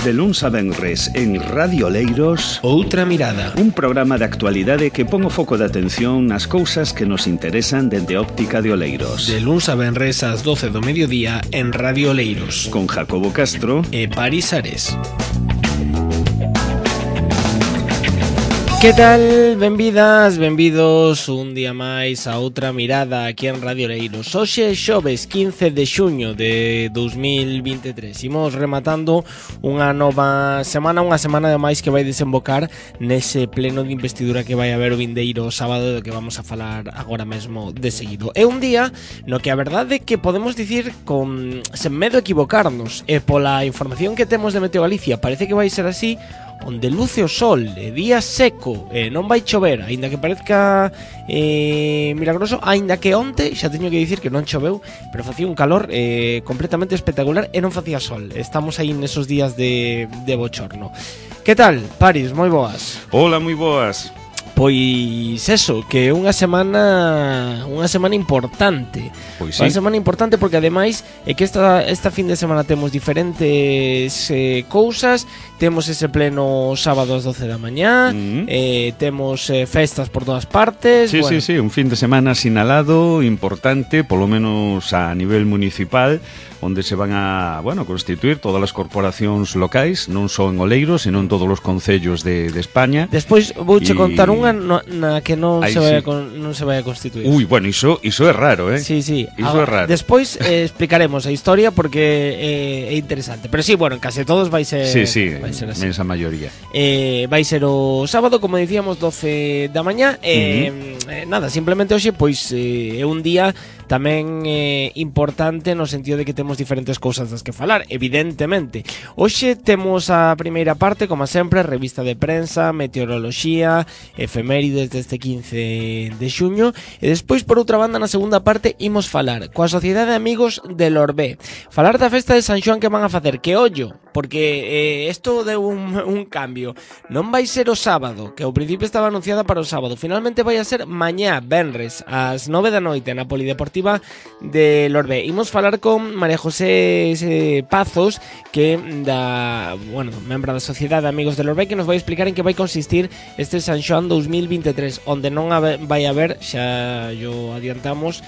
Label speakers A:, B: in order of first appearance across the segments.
A: De luns a venres en Radio Oleiros,
B: Outra Mirada,
A: un programa de actualidade que pon o foco de atención nas cousas que nos interesan dende óptica de Oleiros.
B: de luns a venres ás 12 do mediodía en Radio Oleiros,
A: Con Jacobo Castro
B: e Paris Ares. Que tal? Benvidas, benvidos un día máis a Outra Mirada aquí en Radio Oleiros. Hoxe é xoves 15 de xuño de 2023. Imos rematando unha nova semana, unha semana de máis que vai desembocar nese pleno de investidura que vai haber o vindeiro sábado, do que vamos a falar agora mesmo de seguido. É un día no que a verdade é que podemos dicir sen medo a equivocarnos, e pola información que temos de Meteo Galicia parece que vai ser así, onde luce o sol, día seco, non vai chover, aínda que parezca milagroso, aínda que onte xa teño que dicir que non choveu, pero facía un calor completamente espectacular e non facía sol. Estamos aí nesos días de bochorno. Que tal, Paris? Moi boas.
A: Hola, moi boas.
B: Pois eso, que é unha semana importante.
A: Pois sí.
B: Unha semana importante porque ademais é que esta fin de semana temos diferentes cousas. Temos ese pleno sábado ás 12 da mañá, temos festas por todas partes.
A: Sí,
B: bueno.
A: sí, un fin de semana sinalado, importante, polo menos a nivel municipal, onde se van a, constituir todas as corporacións locais, non só en Oleiros, senón en todos os concellos de España.
B: Despois vouche contar unha na que non
A: Aí
B: se vai
A: sí.
B: a constituir.
A: Iso é raro, eh?
B: Sí, sí.
A: Iso é raro.
B: Despois explicaremos a historia porque é interesante. Pero sí, en case todos vai ser.
A: Sí,
B: vai ser así.
A: mensa maioría.
B: Vai ser o sábado, como dicíamos, 12 da mañá. Nada, simplemente hoxe pois é un día tamén importante no sentido de que temos diferentes cousas das que falar, evidentemente. Hoxe temos a primeira parte, como sempre, revista de prensa, meteoroloxía, efemérides deste 15 de xuño, e despois, por outra banda, na segunda parte, imos falar coa Sociedade de Amigos de Lorbé. Falar da festa de San Xoán que van a facer, que ollo, porque isto deu un cambio. Non vai ser o sábado, que ao principio estaba anunciada para o sábado, finalmente vai a ser mañá, venres, ás 9 da noite, na Polideportiva de Lorbé. Imos falar con María José Pazos, que membro da Sociedade de Amigos de Lorbé, que nos vai explicar en que vai consistir este San Xoán 2023, onde non vai haber, xa yo adiantamos,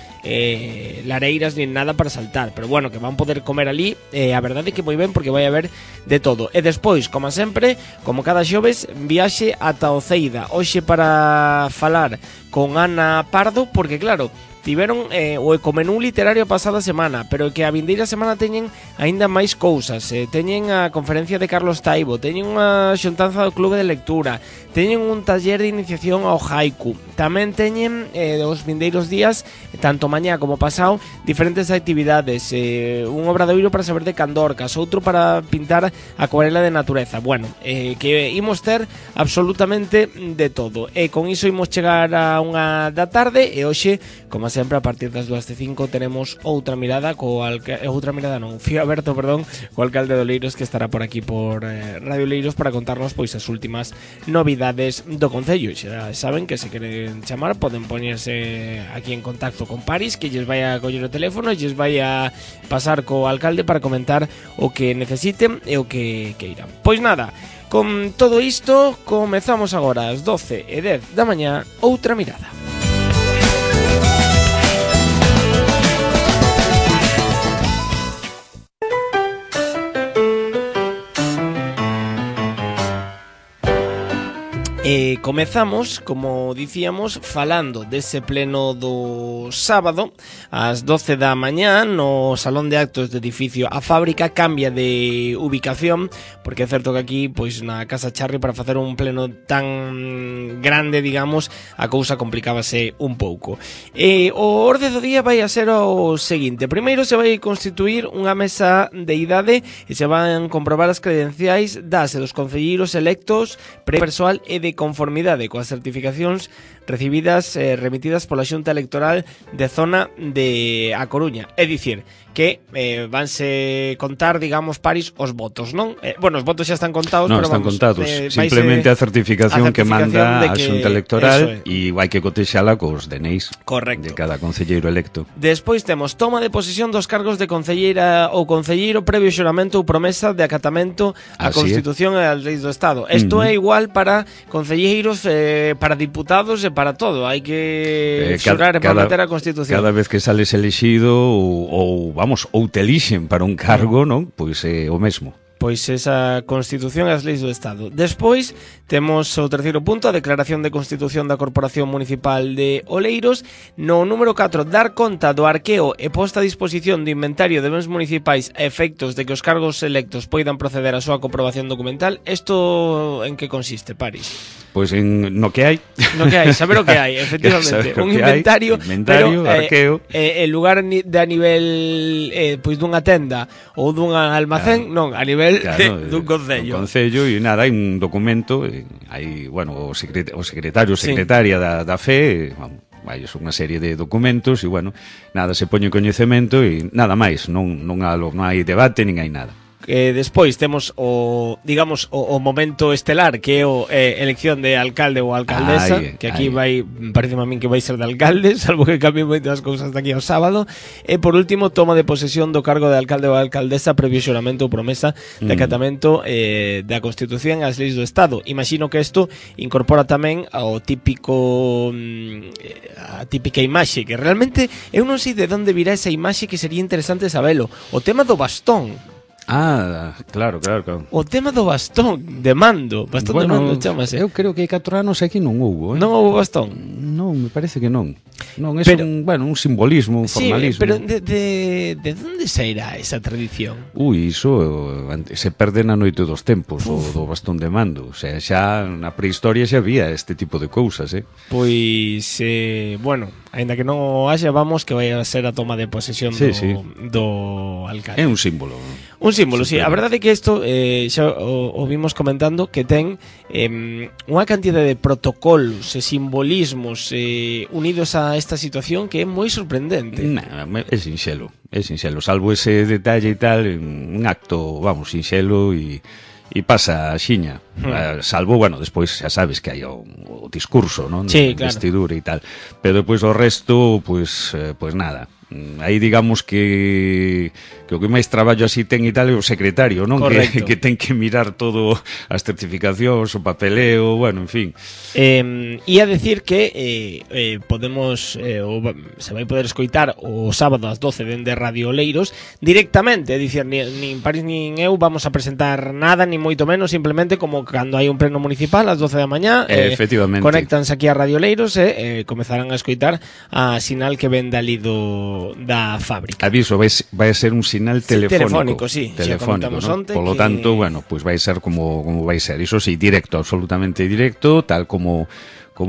B: lareiras nin nada para saltar, pero que van poder comer ali, a verdade é que moi ben, porque vai haber de todo. E despois, como sempre, como cada xoves, viaxe ata Oceida, hoxe para falar con Ana Pardo, porque claro, tiveron o Ecomenú literario a pasada semana, pero que a vindeira semana teñen aínda máis cousas. Teñen a conferencia de Carlos Taibo, teñen unha xuntanza do Clube de Lectura, teñen un taller de iniciación ao haiku, tamén teñen os vindeiros días, tanto mañá como pasado, diferentes actividades, un obradoiro para saber de candorcas, outro para pintar acuarela de natureza. Que imos ter absolutamente de todo, e con iso imos chegar a unha da tarde, e hoxe, como sempre, a partir das 2:05 tenemos Outra Mirada Fío Aberto, co alcalde de Oleiros, que estará por aquí por Radio Oleiros para contarnos pois as últimas novidades do concello. Xa saben que se queren chamar poden poñerse aquí en contacto con Paris, que lles vai a coller o teléfono e lles vai a pasar co alcalde para comentar o que necesiten e o que queiran. Pois nada, con todo isto comezamos agora ás 12:10 da mañá Outra Mirada. Comezamos, como dicíamos, falando dese pleno do sábado ás 12 da mañá no Salón de Actos do edificio A Fábrica. Cambia de ubicación, porque é certo que aquí, pois na Casa Charri, para facer un pleno tan grande, digamos, a cousa complicábase un pouco. O orde do día vai a ser o seguinte: primeiro se vai constituir unha mesa de idade e se van comprobar as credenciais das e dos concelleiros electos, persoal e de conformidade coas certificacións remitidas pola Xunta Electoral de zona de A Coruña. É dicir, que vanse contar, digamos, Paris, os votos, non? Bueno, os votos xa están contados,
A: non,
B: pero
A: están
B: vamos,
A: contados. Simplemente a certificación que manda a Xunta Electoral e vai que cotexala cos DNIs de cada concelleiro electo.
B: Despois temos toma de posesión dos cargos de concelleira ou concelleiro previo xuramento ou promesa de acatamento á Constitución e ás leis do Estado. Isto é igual para concelleiros, para diputados e para todo. Hai que xurar e prometer a Constitución.
A: Cada vez que sales elexido ou te elixen para un cargo, non? Pois é o mesmo.
B: Pois esa Constitución e as leis do Estado. Despois, temos o terceiro punto, a declaración de Constitución da Corporación Municipal de Oleiros. No número 4, dar conta do arqueo e posta a disposición do inventario de bens municipais a efectos de que os cargos electos poidan proceder a súa comprobación documental. Isto en que consiste, Paris?
A: Pois no que hai.
B: No que hai, saber o que hai, efectivamente. Un inventario, pero
A: arqueo.
B: En lugar de a nivel pois dunha tenda ou dun almacén, non, a nivel dun concello.
A: Un concello e nada, hai un documento, hai, bueno, o secretario, secretaria da FE, vai unha serie de documentos e, bueno, nada, se poñe coñecemento e nada máis, non hai debate, nin hai nada.
B: Despois temos o momento estelar, que é o elección de alcalde ou alcaldesa, que aquí parece a min que vai ser de alcalde, salvo que cambien moitas cousas daqui ao sábado. E por último, toma de posesión do cargo de alcalde ou alcaldesa previo xuramento ou promesa de acatamento da Constitución e as leis do Estado. Imagino que isto incorpora tamén ao típico a típica imaxe, que realmente eu non sei de onde virá esa imaxe, que sería interesante sabelo. O tema do bastón.
A: Claro.
B: O tema do bastón de mando, bastón de mando, chamase.
A: Eu creo que hai 4 anos aquí non houbo,
B: Non houbo bastón?
A: Non, me parece que non. Non, é un simbolismo, un formalismo.
B: Sí, pero de onde sairá esa tradición?
A: Iso se perde na noite dos tempos, o do bastón de mando. O sea, xa na prehistoria xa había este tipo de cousas,
B: Pois, bueno, aínda que non o haxa, vamos, que vai a ser a toma de posesión do alcalde.
A: É un símbolo.
B: Un símbolo, sí. A verdade é que isto xa o vimos comentando, que ten unha cantidad de protocolos e simbolismos unidos a esta situación que é moi sorprendente.
A: É sinxelo, salvo ese detalle e tal, un acto, sinxelo e pasa a xiña. Salvo, despois xa sabes que hai o discurso, non?
B: Sí, claro.
A: Vestidura e tal. Pero depois o resto, pois nada. Aí digamos que o que máis traballo así ten e tal é o secretario, non? Que ten que mirar todo as certificacións, o papeleo, en fin.
B: Ia decir que podemos se vai poder escoitar o sábado ás 12 dende Radio Oleiros directamente, é dicir, nin Paris nin eu vamos a presentar nada, ni moito menos, simplemente como cando hai un pleno municipal ás 12 da mañá,
A: efectivamente.
B: Conéctanse aquí a Radio Oleiros e comezarán a escoitar a sinal que ven dali da fábrica.
A: Aviso, vai a ser un sinal telefónico.
B: Telefónico,
A: ¿no? Por lo tanto, pois vai ser como vai ser. Iso sí, directo, absolutamente directo, tal como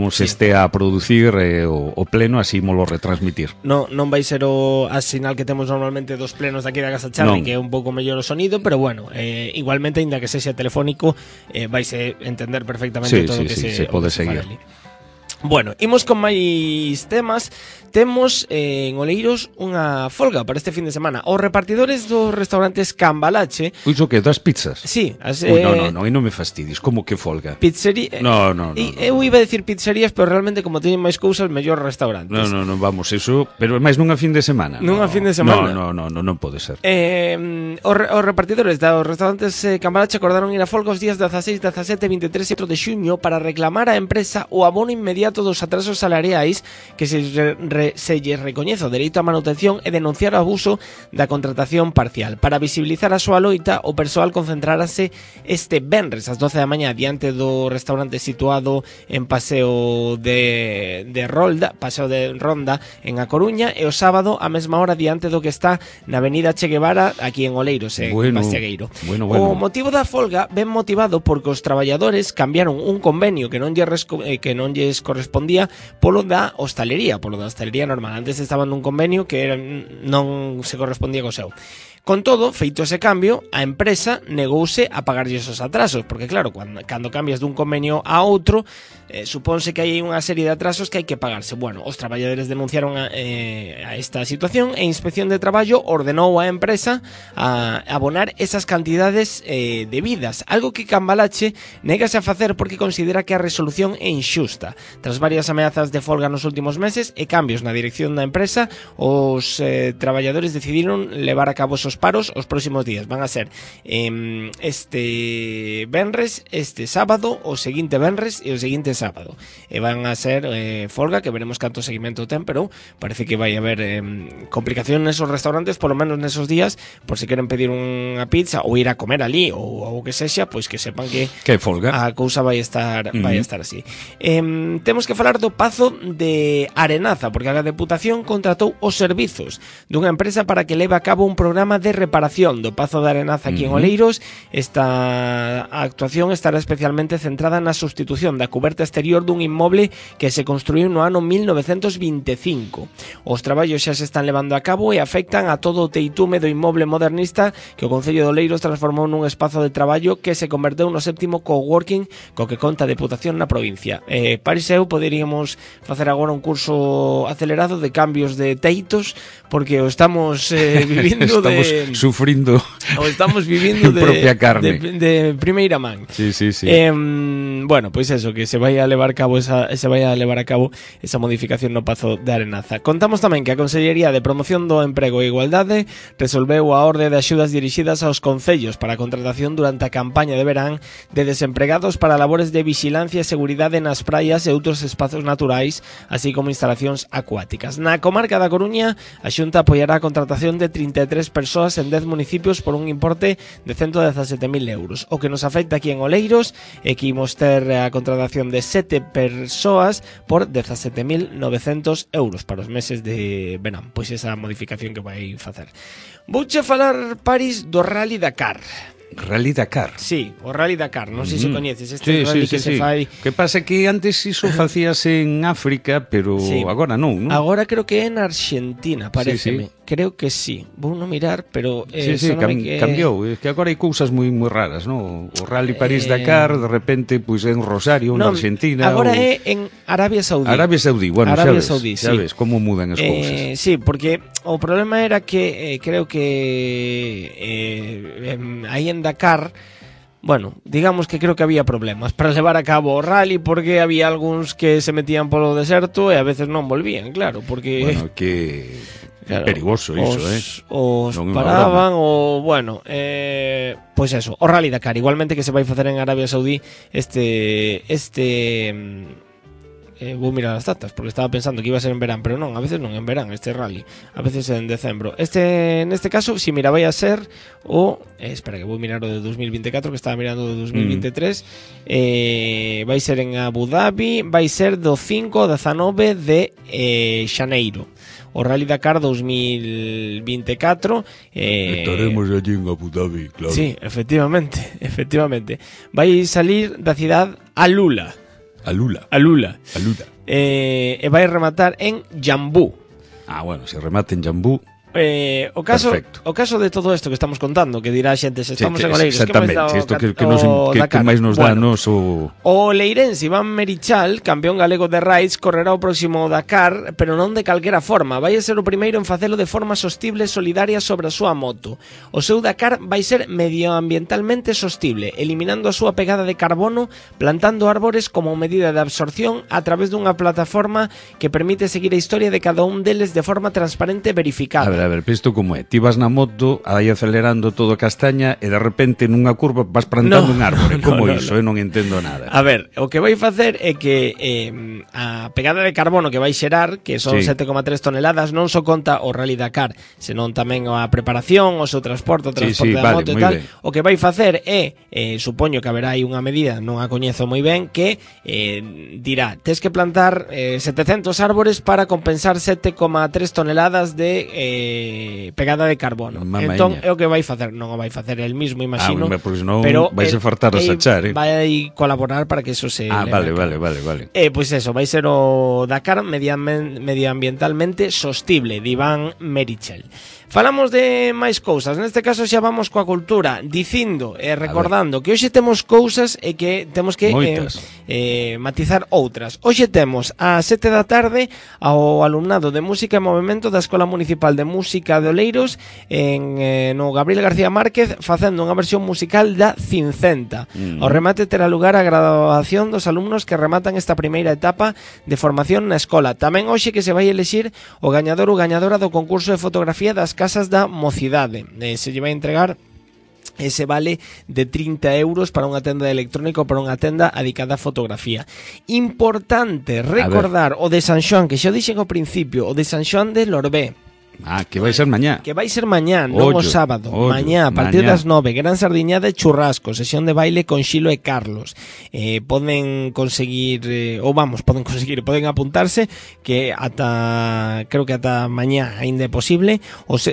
A: se estea a producir o pleno, así molo retransmitir.
B: Non vai ser a sinal que temos normalmente dos plenos daqui da Casa Charri, que é un pouco mellor o sonido, pero igualmente, ainda que sexa telefónico, vaise entender perfectamente todo o que se
A: pode seguir.
B: Bueno, imos con máis temas. Temos en Oleiros unha folga para este fin de semana. Os repartidores dos restaurantes Cambalache...
A: Iso que, das pizzas?
B: Sí.
A: Non, e non me fastidies, como que folga?
B: Pizzería...
A: No.
B: Eu iba a decir pizzerías, pero realmente como teñen máis cousas, mellor restaurantes.
A: Non, vamos, eso... Pero máis nunha fin de semana.
B: Nunha fin de semana?
A: Non pode ser.
B: Os repartidores dos restaurantes Cambalache acordaron ir a folga os días 16, 17, 23 e 4 de xuño para reclamar á empresa o abono inmediato dos atrasos salariais que se lles recoñece o dereito á manutención e denunciar o abuso da contratación parcial. Para visibilizar a súa loita, o persoal concentrarase este venres ás 12 da mañá diante do restaurante situado en Paseo de Ronda en A Coruña, e o sábado a mesma hora diante do que está na avenida Che Guevara aquí en Oleiros, en Bastiagueiro. O motivo da folga ven motivado porque os traballadores cambiaron un convenio que non lles correspondía correspondía polo da hostalería normal. Antes estaban nun convenio que non se correspondía co seu. Con todo, feito ese cambio, a empresa negouse a pagarlle esos atrasos, porque claro, cando cambias dun convenio a outro, supónse que hai unha serie de atrasos que hai que pagarse. Bueno, os traballadores denunciaron a esta situación e Inspección de Traballo ordenou á empresa a abonar esas cantidades debidas, algo que Cambalache negase a facer porque considera que a resolución é inxusta. Tras varias ameazas de folga nos últimos meses e cambios na dirección da empresa, os traballadores decidiron levar a cabo esos paros os próximos días. Van a ser este venres, este sábado, o seguinte venres e o seguinte sábado. E van a ser folga que veremos canto seguimento ten, pero parece que vai haber complicación nesos restaurantes, polo menos nesos días, por se queren pedir unha pizza ou ir a comer ali ou o que sexa, pois que sepan que
A: folga.
B: A cousa vai estar así. Temos que falar do Pazo de Arenaza, porque a Deputación contratou os servizos dunha empresa para que leve a cabo un programa de reparación do Pazo de Arenaza aquí en Oleiros. Esta actuación estará especialmente centrada na sustitución da cuberta exterior dun inmoble que se construiu no ano 1925. Os traballos xa se están levando a cabo e afectan a todo o teitume do inmoble modernista que o Concello de Oleiros transformou nun espazo de traballo que se converteu no 7º coworking co que conta a Deputación na provincia. Paris e eu poderíamos facer agora un curso acelerado de cambios de teitos, porque o estamos vivindo
A: sufrindo
B: ou estamos vivindo
A: propia carne
B: de primeira man.
A: Sí.
B: Bueno, pois eso, que se vai a levar a cabo esa modificación no Pazo de Arenaza. Contamos tamén que a Consellería de Promoción do Emprego e Igualdade resolveu a orde de axudas dirixidas aos concellos para a contratación durante a campaña de verán de desempregados para labores de vixilancia e seguridade nas praias e outros espazos naturais, así como instalacións acuáticas. Na comarca da Coruña, a Xunta apoiará a contratación de 33 persoas en 10 municipios por un importe de 117.000 euros. O que nos afecta aquí en Oleiros é que imos ter a contratación de 7 persoas por 17.900 euros para os meses de verán. Pois esa modificación que vai facer. Vouche falar, Paris, do Rally Dakar.
A: Rally Dakar.
B: Sí, o Rally Dakar, non sei se coñeces este rally que se fai.
A: Que pasa que antes iso facíase en África, pero agora non, non?
B: Agora creo que é en Argentina, pareceme. Creo que sí. Vou non mirar, pero
A: cambiou, é que agora hai cousas moi raras, non? O Rally París-Dakar, de repente pois en Rosario, en Argentina.
B: Agora é en Arabia Saudí.
A: Arabia Saudí, bueno, xa ves como mudan as cousas.
B: Sí, porque o problema era que creo que aí en Dakar, bueno, digamos que creo que había problemas para levar a cabo o rally, porque había algúns que se metían polo deserto e a veces non volvían, claro, porque
A: bueno, que claro, perigoso iso,
B: os paraban o bueno, pois eso, o Rally Dakar, igualmente que se vai facer en Arabia Saudí vou mirar as datas, porque estaba pensando que iba a ser en verán, pero non, a veces non en verán este rally, a veces en decembro. Neste caso, si mira, vai a ser o espera que vou mirar o de 2024, que estaba mirando o de 2023. Vai ser en Abu Dhabi, vai ser do 5 ao 19 de xaneiro. O Rally Dakar 2024
A: estaremos allí en Abu Dhabi, claro.
B: Sí, efectivamente. Vai salir da cidade Alula. E vai rematar en Jambú.
A: Ah, bueno, se remata en Jambú.
B: O caso de todo isto que estamos contando, que dirá a xente, se estamos en Oleiros,
A: exactamente, isto que máis nos dá nos o
B: leirense Iván Merichal, campeón galego de Raids, correrá o próximo Dakar, pero non de calquera forma. Vai ser o primeiro en facelo de forma sostible e solidaria sobre a súa moto. O seu Dakar vai ser medioambientalmente sostible, eliminando a súa pegada de carbono, plantando árbores como medida de absorción a través dunha plataforma que permite seguir a historia de cada un deles de forma transparente e verificada.
A: A ver, pero isto como é? Ti vas na moto, aí acelerando todo castaña e de repente nunha curva vas plantando un árbore. Como iso? Eu non entendo nada.
B: A ver, o que vai facer é que a pegada de carbono que vai xerar, que son 7,3 toneladas, non só conta o Rally Dakar, senón tamén a preparación, o seu transporte, da moto e tal. Bien. O que vai facer é, supoño que haberá aí unha medida, non a coñezo moi ben, que dirá, tes que plantar 700 árbores para compensar 7,3 toneladas de pegada de carbono. Entón, é o que vai facer. Non o vai facer el mismo, imagino.
A: Porque senón vais a fartar a sachar,
B: vai colaborar para que eso se...
A: vale.
B: Pois eso, vai ser o Dakar medioambientalmente sostible, de Iván Merichel. Falamos de máis cousas, neste caso xa vamos coa cultura, dicindo e recordando que hoxe temos cousas e que temos que matizar outras. Hoxe temos a 7 da tarde ao alumnado de Música e Movimento da Escola Municipal de Música de Oleiros no Gabriel García Márquez facendo unha versión musical da Cincenta. Ao remate terá lugar a graduación dos alumnos que rematan esta primeira etapa de formación na escola. Tamén hoxe que se vai elexir o gañador ou gañadora do concurso de fotografía das Casas da Mocidade. Se lle vai entregar ese vale de 30 euros para unha tenda de electrónico, para unha tenda dedicada a fotografía. Importante recordar o de San Xoán, que xa o dixen ao principio, o de San Xoán de Lorbé.
A: Que vai ser mañá.
B: Que vai ser mañá, non o sábado. Mañá, a partir das 9, gran sardiñada e churrasco, sesión de baile con Xilo e Carlos. Poden conseguir, poden apuntarse, que creo que ata mañá ainda é posible,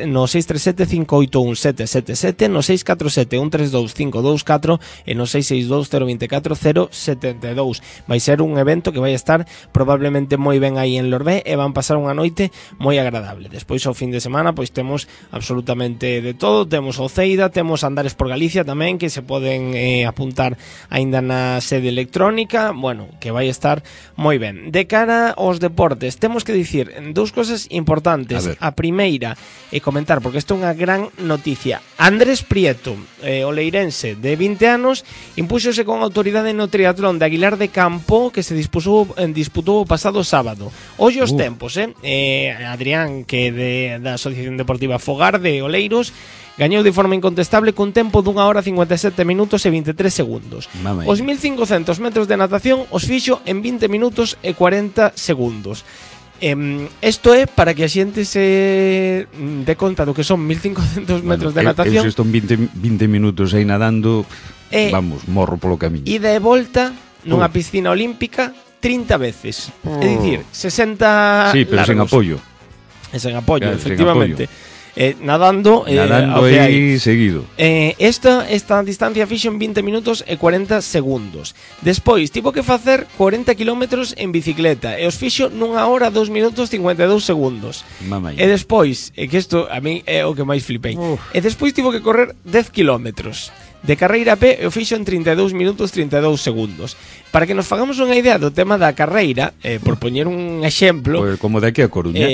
B: no 637-581-777, no 647-132-524 e no 662-024-072. Vai ser un evento que vai estar probablemente moi ben aí en Lorbé e van pasar unha noite moi agradable. Despois ao fin de semana pois temos absolutamente de todo, temos o Ceida, temos Andares por Galicia tamén, que se poden apuntar aínda na sede electrónica, bueno, que vai estar moi ben. De cara aos deportes, temos que dicir dous cosas importantes. A primeira é comentar, porque isto é unha gran noticia. Andrés Prieto, oleirense de 20 anos, impúxose con autoridade no triatlón de Aguilar de Campo, que se disputou o pasado sábado. Hoxe os tempos, Adrián, que da Asociación Deportiva Fogar de Oleiros, gañou de forma incontestable cun tempo d'1 hora 57 minutos e 23 segundos. Os 1500 metros de natación os fixo en 20 minutos e 40 segundos. Isto é para que a xente se dé conta do que son 1500 metros de natación.
A: Eu estou 20 minutos aí nadando, vamos, morro polo camiño.
B: Ida e volta nunha piscina olímpica 30 veces. É dicir, 60
A: Sí, pero
B: largos.
A: sen apoio.
B: Sen apoio, efectivamente. Nadando
A: aí seguido.
B: Esta distancia fixo en 20 minutos e 40 segundos. Despois tivo que facer 40 kilómetros en bicicleta e os fixo nunha hora 2 minutos 52 segundos. E despois, que isto a mí é o que máis flipei. E despois tivo que correr 10 kilómetros de carreira a pé e o fixo en 32 minutos 32 segundos. Para que nos fagamos unha idea do tema da carreira, por poñer un exemplo,
A: como de aquí a Coruña.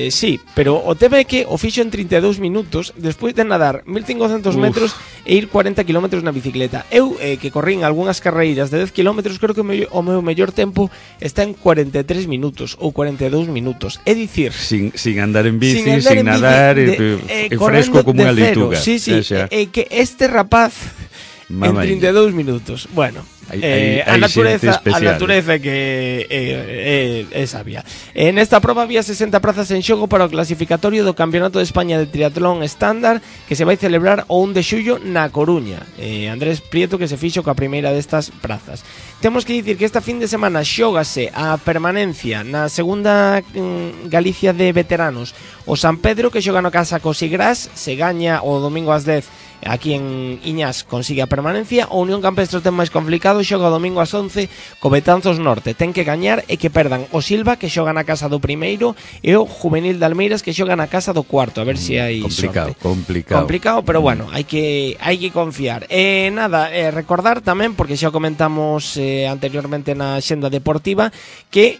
B: Sí, pero o tema é que o fixo en 32 minutos despois de nadar 1500 metros e ir 40 km na bicicleta. Eu, que corrín algunhas carreiras de 10 km, creo que o meu mellor tempo está en 43 minutos ou 42 minutos. É dicir,
A: sin andar en bici, sin nadar, e fresco como unha leituga.
B: Sí, que este rapaz en 32 minutos. Bueno, a natureza que é sabia. En esta prova había 60 prazas en xogo para o clasificatorio do Campeonato de España de Triatlón Estándar, que se vai celebrar o 1 de xullo na Coruña. Andrés Prieto, que se fixo coa primeira destas prazas. Temos que dicir que esta fin de semana xógase a permanencia na segunda Galicia de veteranos o San Pedro, que xoga no Casa Cosigrás. Se gaña o domingo ás 10 aquí en Iñas, consigue a permanencia. O Unión Campestre ten máis complicado, xoga o domingo ás 11 co Betanzos Norte. Ten que gañar e que perdan o Silva, que xoga na casa do primeiro, e o Juvenil de Almeiras, que xoga na casa do cuarto. A ver se hai sorte. Complicado, pero bueno, hai que confiar. Recordar tamén, porque xa comentamos anteriormente na xenda deportiva, que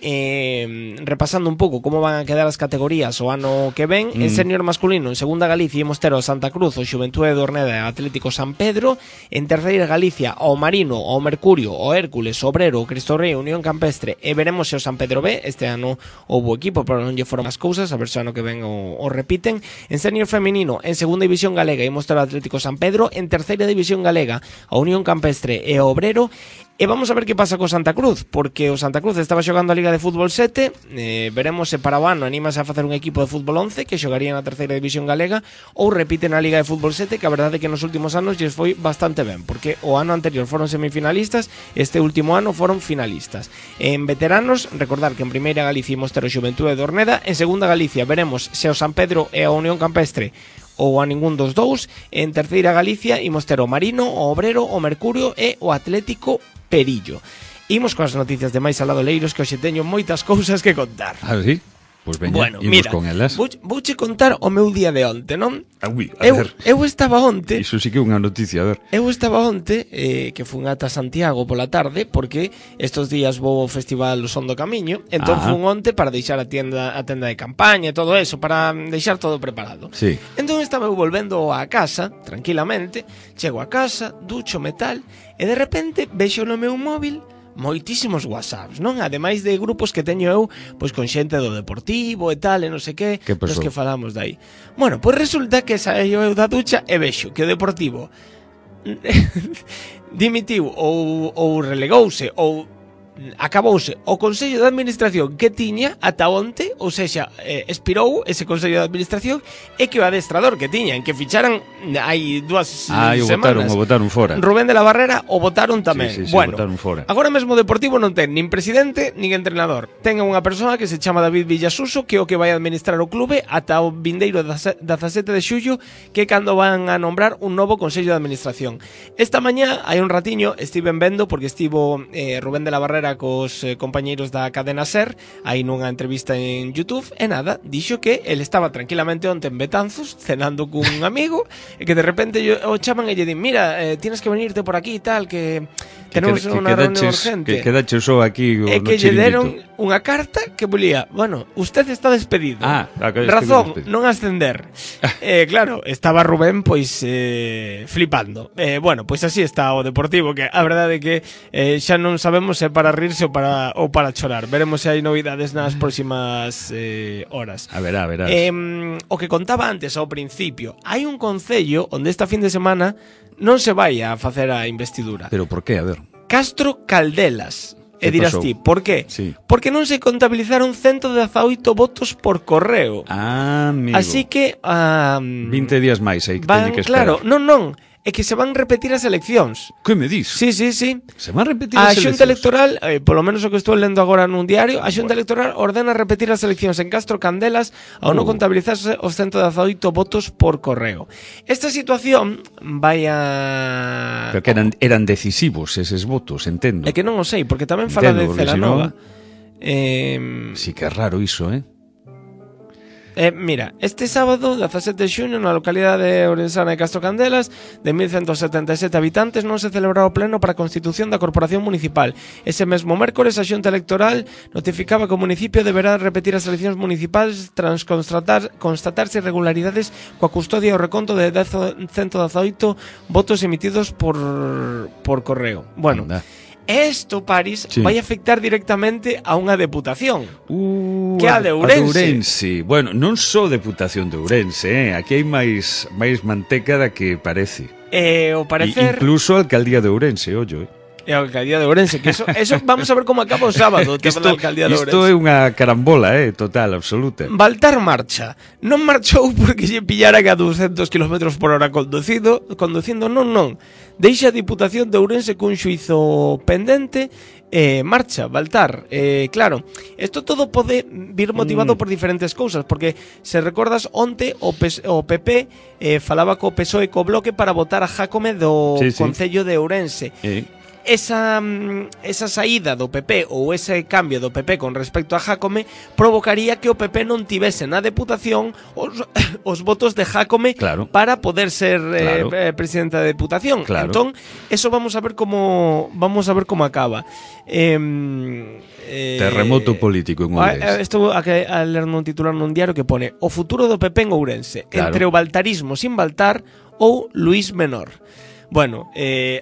B: repasando un pouco como van a quedar as categorías o ano que ven, en senior masculino, en segunda Galicia imos ter o Santa Cruz, o Xuventude de Orneda, Atlético San Pedro. En terceira Galicia, o Marino, o Mercurio, o Hércules, o Obrero, o Cristo Rei, Unión Campestre, e veremos se o San Pedro B. Este ano houbo equipo, pero non lle foron as cousas, a ver se ano que ven o repiten. En senior feminino, en segunda división galega, imos ter o Atlético San Pedro. En terceira división galega, a Unión Campestre e o Obrero. E vamos a ver que pasa co Santa Cruz, porque o Santa Cruz estaba xogando a Liga de Fútbol 7, veremos se para o ano anímase a facer un equipo de Fútbol 11 que xogaría na terceira división galega ou repite na Liga de Fútbol 7, que a verdade é que nos últimos anos lles foi bastante ben, porque o ano anterior foron semifinalistas, este último ano foron finalistas. En veteranos, recordar que en primeira Galicia imos ter o Xuventude de Orneda, en segunda Galicia veremos se o San Pedro e a Unión Campestre ou a ningún dos dous. En terceira Galicia imos ter o Marino, o Obrero, o Mercurio e o Atlético Perillo. Imos coas noticias de máis alado Leiros, que hoxe teño moitas cousas que contar.
A: Ah, sí? Pois veña,
B: bueno,
A: imos
B: mira,
A: con elas.
B: Vouche contar o meu día de onte, non?
A: Ui,
B: Eu estaba onte.
A: Iso sí que é unha noticia, a ver.
B: Eu estaba onte, que fun ata Santiago pola tarde, porque estes días vou ao festival O Son do Camiño, entón fun onte para deixar a tenda de campaña e todo eso, para deixar todo preparado.
A: Sí.
B: Entón estaba eu volvendo á casa, tranquilamente, chego a casa, ducho metal, e de repente vexo no meu móvil moitísimos WhatsApps, non? Ademais de grupos que teño eu, pois con xente do Deportivo e tal, e non sei que, dos que falamos dai. Bueno, pois resulta que saio eu da ducha e vexo que o Deportivo dimitiu ou relegouse ou acabouse o Consello de Administración que tiña ata onte, ou sexa, expirou ese Consello de Administración, e que o adestrador que tiñan, que ficharan hai 2 semanas,
A: o botaron fora.
B: Rubén de la Barrera, o botaron tamén.
A: Sí,
B: bueno,
A: botaron fora.
B: Agora mesmo o Deportivo non ten nin presidente nin entrenador. Ten unha persoa que se chama David Villasuso, que é o que vai administrar o clube ata o vindeiro 17 de xullo, que é cando van a nombrar un novo Consello de Administración. Esta mañá, hai un ratiño, estiven vendo, porque estivo Rubén de la Barrera cos compañeiros da cadena SER, aí nunha entrevista en YouTube, e nada, dixo que ele estaba tranquilamente onte en Betanzos, cenando cun amigo, e que de repente o chaman e lle din, mira, tienes que venirte por aquí e tal, que tenemos unha reunión urgente.
A: Que quedache só aquí no
B: chiringuito. E que lle deron unha carta que volía, bueno, usted está despedido. Razón, non ascender. Claro, estaba Rubén pois flipando. Bueno, pois así está o Deportivo, que a verdade é que xa non sabemos se para rirse ou para chorar. Veremos se hai novidades nas próximas horas.
A: A ver.
B: O que contaba antes ao principio, hai un concello onde esta fin de semana non se vai a facer a investidura.
A: Pero por qué? A ver.
B: Castro Caldelas. E dirás ti, por qué?
A: Sí.
B: Porque non se contabilizaron 118 votos por correo.
A: Amigo.
B: Así que
A: 20 días máis aí que teñe que esperar.
B: Claro, non. É que se van repetir as eleccións.
A: Que me dis?
B: Sí.
A: Se van repetir as eleccións?
B: A Xunta Electoral, polo menos o que estou lendo agora nun diario, a Xunta Electoral ordena repetir as eleccións en Castro Candelas ao non contabilizarse os 118 votos por correo. Esta situación vai a...
A: Pero que eran decisivos eses votos, entendo.
B: É que non o sei, porque tamén fala de Celanova.
A: Sí que é raro iso,
B: Mira, este sábado, 17 de xuño, na localidade de Ourensana de Castro Candelas, de 1177 habitantes, non se celebrará o pleno para a constitución da Corporación Municipal. Ese mesmo mércores, a Xunta Electoral notificaba que o municipio deberá repetir as eleccións municipais tras constatarse irregularidades coa custodia e o reconto de 118 votos emitidos por correo. Bueno, esto, París, vai afectar directamente a unha deputación, que é a de Ourense.
A: Bueno, non só deputación de Ourense, aquí hai máis manteca da que parece.
B: O parecer...
A: Incluso a alcaldía de Ourense, ollo,
B: E a alcaldía de Ourense, que eso vamos a ver como acaba o sábado, que a alcaldía de Ourense.
A: Isto é unha carambola, total, absoluta.
B: Baltar marcha. Non marchou porque lle pillaran a 200 km por hora conducindo, non. Deixa a Diputación de Ourense cun xuizo pendente, marcha, Baltar. Claro, isto todo pode vir motivado por diferentes cousas, porque se recordas onte o PP falaba co PSOE e co Bloque para votar a Jácome do Concello de Ourense. Esa saída do PP ou ese cambio do PP con respecto a Jácome provocaría que o PP non tivese na Deputación os votos de Jácome para poder ser presidente da Deputación. Entón, eso vamos a ver como acaba.
A: Terremoto político en Ourense.
B: Estou a ler nun titular nun diario que pone: o futuro do PP en Ourense, entre o baltarismo sin Baltar ou Luís Menor. Bueno,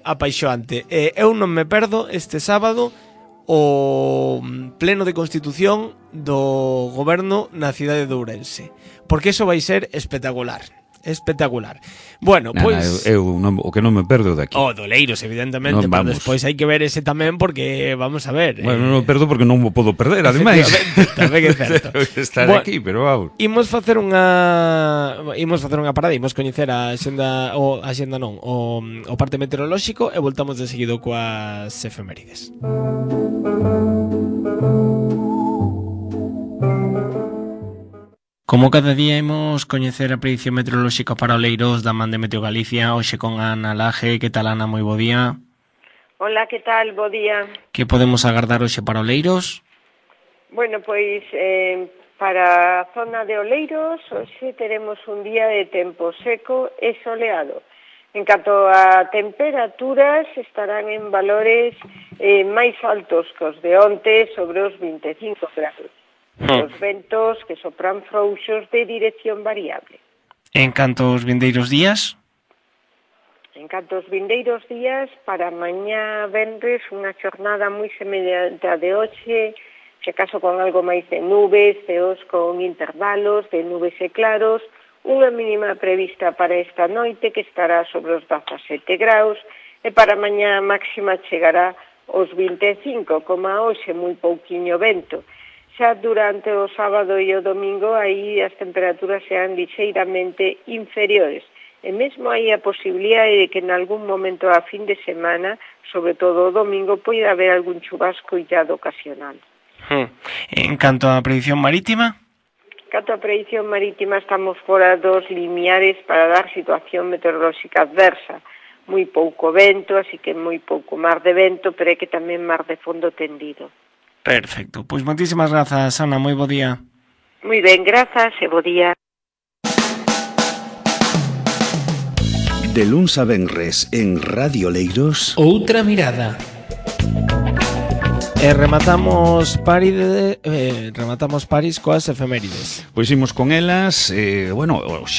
B: apaixoante. Eu non me perdo este sábado o pleno de constitución do goberno na cidade de Ourense, porque eso vai ser espectacular. Espectacular. Bueno, pois...
A: o que non me perdo daqui.
B: O do Oleiros, evidentemente, pero despois hai que ver ese tamén porque, vamos a ver...
A: Bueno, non me perdo porque non o podo perder, ademais.
B: Tamén é certo.
A: Estar aquí, pero vamos.
B: Imos facer unha parada, imos coñecer a o parte meteorolóxico e voltamos de seguido coas efemérides. Como cada día imos coñecer a predición meteorolóxica para Oleiros da man de Meteo Galicia, hoxe con Ana Laje. Que tal, Ana? Moi bo día.
C: Hola, que tal? Bo día.
B: Que podemos agardar hoxe para Oleiros?
C: Bueno, pois para a zona de Oleiros hoxe teremos un día de tempo seco e soleado. En canto a temperaturas, estarán en valores máis altos que os de onte, sobre os 25 grados. Os ventos que sopran frouxos de dirección variable.
B: En canto aos vindeiros días?
C: En canto aos vindeiros días, para mañá venres, unha xornada moi semellante a de hoxe, se acaso con algo máis de nubes, ceos con intervalos de nubes e claros, unha mínima prevista para esta noite que estará sobre os 17 graus, e para mañá máxima chegará aos 25, como hoxe moi pouquiño vento. Xa durante o sábado e o domingo aí as temperaturas sean lixeiramente inferiores. E mesmo hai a posibilidade de que en algún momento a fin de semana, sobre todo o domingo, poida haber algún chubasco illado ocasional.
B: En canto á predicción marítima?
C: En canto á predicción marítima estamos fora dos limiares para dar situación meteorolóxica adversa. Moi pouco vento, así que moi pouco mar de vento, pero é que tamén mar de fondo tendido.
B: Perfecto, pois moitísimas grazas, Ana, moi bo día.
C: Moi ben, grazas e bo día.
D: De luns a venres en Radio Oleiros.
B: Outra mirada. E rematamos París coas efemérides.
A: Pois imos con elas. Xe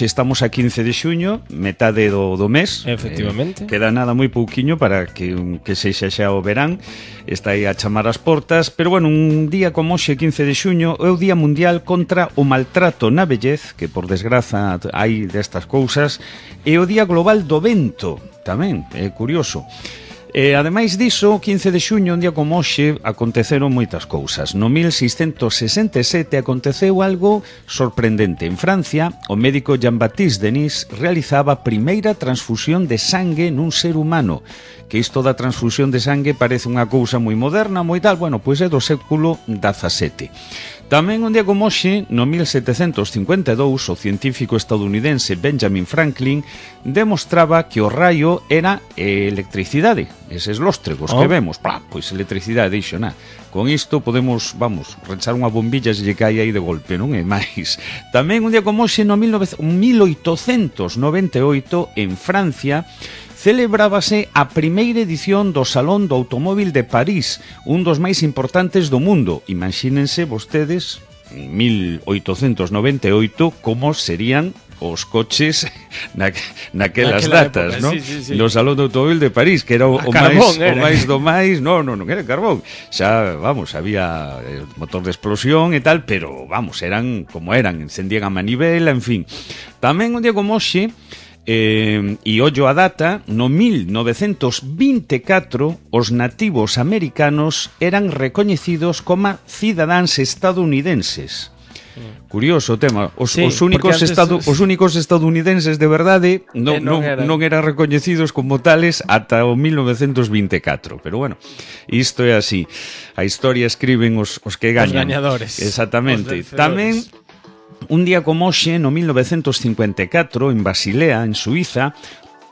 A: estamos a 15 de xuño, metade do mes.
B: Efectivamente.
A: Queda nada moi pouquiño para que sexa xa o verán. Está aí a chamar as portas. Pero bueno, un día como hoxe, 15 de xuño, é o Día Mundial contra o Maltrato na Vellez, que por desgraza hai destas cousas, e o Día Global do Vento, tamén, é curioso. Ademais diso, 15 de xuño, un día como hoxe, aconteceron moitas cousas. No 1667 aconteceu algo sorprendente. En Francia, o médico Jean-Baptiste Denis realizaba a primeira transfusión de sangue nun ser humano. Que isto da transfusión de sangue parece unha cousa moi moderna, moi tal, bueno, pois é do século XVII. Tamén un día como hoxe, no 1752, o científico estadounidense Benjamin Franklin demostraba que o raio era electricidade, eses lóstregos que vemos, pois electricidade, dixo, con isto podemos, rechar unha bombilla se lle cae aí de golpe, non é máis. Tamén un día como hoxe, no 1898, en Francia, celebrábase a primeira edición do Salón do Automóvil de París, un dos máis importantes do mundo. Imagínense vostedes, en 1898, como serían os coches naquelas datas, non?
B: Sí.
A: No Salón do Automóvil de París, que era o máis do máis, non era carbón. Xa, había motor de explosión e tal, pero, eran como eran, encendían a manivela, en fin. Tamén un día como hoxe, e ollo a data, no 1924 os nativos americanos eran recoñecidos como cidadáns estadounidenses. Curioso o tema. Os únicos estadounidenses de verdade non eran recoñecidos como tales ata o 1924. Pero bueno, isto é así. A historia escriben os que gañan.
B: Os gañadores.
A: Exactamente. Tamén un día como hoxe, no 1954, en Basilea, en Suiza,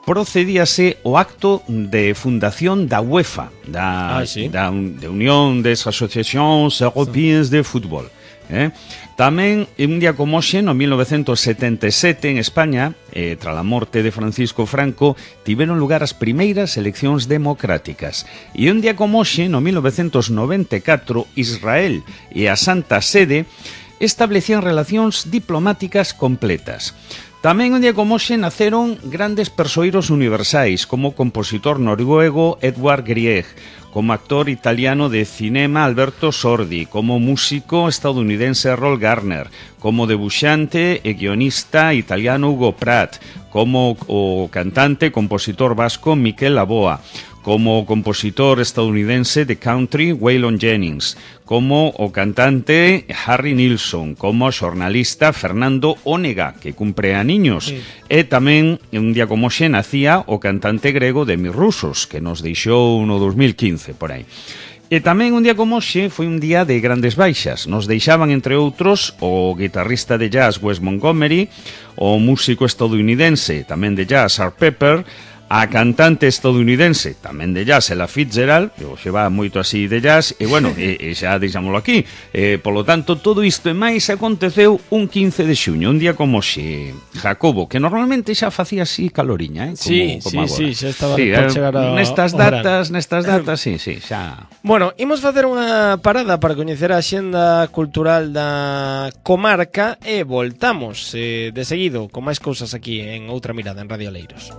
A: procedíase o acto de fundación da UEFA, da Unión das Asociacións Européas de Fútbol. Tamén, un día como hoxe, no 1977, en España, tras a morte de Francisco Franco, tiveron lugar as primeiras eleccións democráticas. E un día como hoxe, no 1994, Israel e a Santa Sede establecían relacións diplomáticas completas. Tamén un día como hoxe naceron grandes persoeiros universais, como o compositor noruego Edvard Grieg, como actor italiano de cinema Alberto Sordi, como músico estadounidense Errol Garner, como debuxante e guionista italiano Hugo Pratt, como o cantante e compositor vasco Miquel Laboa, como compositor estadounidense de country Waylon Jennings, como o cantante Harry Nilsson, como xornalista Fernando Onega, que cumpre aniños, e tamén un día como xe nacía o cantante grego Demis Roussos, que nos deixou no 2015 por aí. E tamén un día como xe foi un día de grandes baixas. Nos deixaban, entre outros, o guitarrista de jazz Wes Montgomery, o músico estadounidense tamén de jazz Art Pepper, a cantante estadounidense tamén de jazz Ella Fitzgerald, que hoxe va moito así de jazz, e bueno, e xa deixámoslo aquí. Polo tanto, todo isto e máis aconteceu un 15 de xuño, un día como xe, Jacobo, que normalmente xa facía así caloriña, como agora.
B: Sí, xa estaba por chegar a
A: nestas datas, sí, xa.
B: Bueno, imos facer unha parada para coñecer a axenda cultural da comarca e voltamos de seguido con máis cousas aquí en Outra Mirada en Radio Oleiros.